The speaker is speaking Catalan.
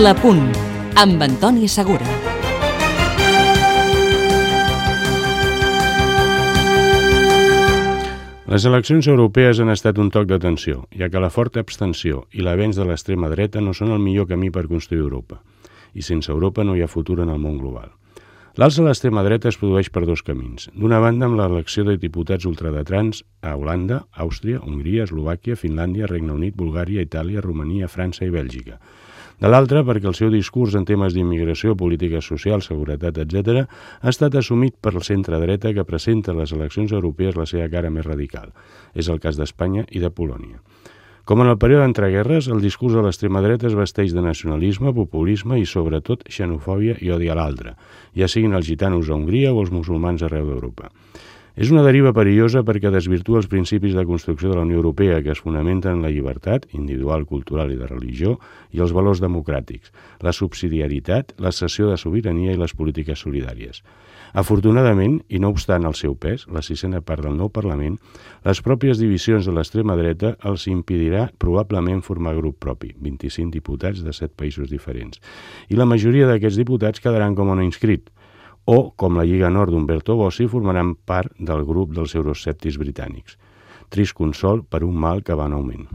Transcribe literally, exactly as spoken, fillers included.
La Punt, amb Antoni Segura. Les eleccions europees han estat un toc d'atenció, ja que la forta abstenció i l'avenç de l'extrema dreta no són el millor camí per construir Europa. I sense Europa no hi ha futur en el món global. L'alça a l'extrema dreta es produeix per dos camins. D'una banda, amb l'elecció de diputats ultradretans a Holanda, Àustria, Hongria, Eslovàquia, Finlàndia, Regne Unit, Bulgària, Itàlia, Romania, França i Bèlgica. De l'altra, perquè el seu discurs en temes d'immigració, polítiques socials, seguretat, etcètera, ha estat assumit per el centre-dreta que presenta a les eleccions europees la seva cara més radical. És el cas d'Espanya i de Polònia. Com en el període d'entreguerres, el discurs de l'extrema dreta es vesteix de nacionalisme, populisme i, sobretot, xenofòbia i odi a l'altre, ja siguin els gitanos a Hongria o els musulmans arreu d'Europa. És una deriva perillosa perquè desvirtua els principis de construcció de la Unió Europea que es fonamenten en la llibertat, individual, cultural i de religió, i els valors democràtics, la subsidiarietat, la cessió de sobirania i les polítiques solidàries. Afortunadament, i no obstant el seu pes, la sisena part del nou Parlament, les pròpies divisions de l'extrema dreta els impedirà probablement formar grup propi, vint-i-cinc diputats de set països diferents, i la majoria d'aquests diputats quedaran com a no inscrit, o, com la Lliga Nord d'Umberto Bossi, formaran part del grup dels euroescèptics britànics. Trist consol per un mal que va en augment.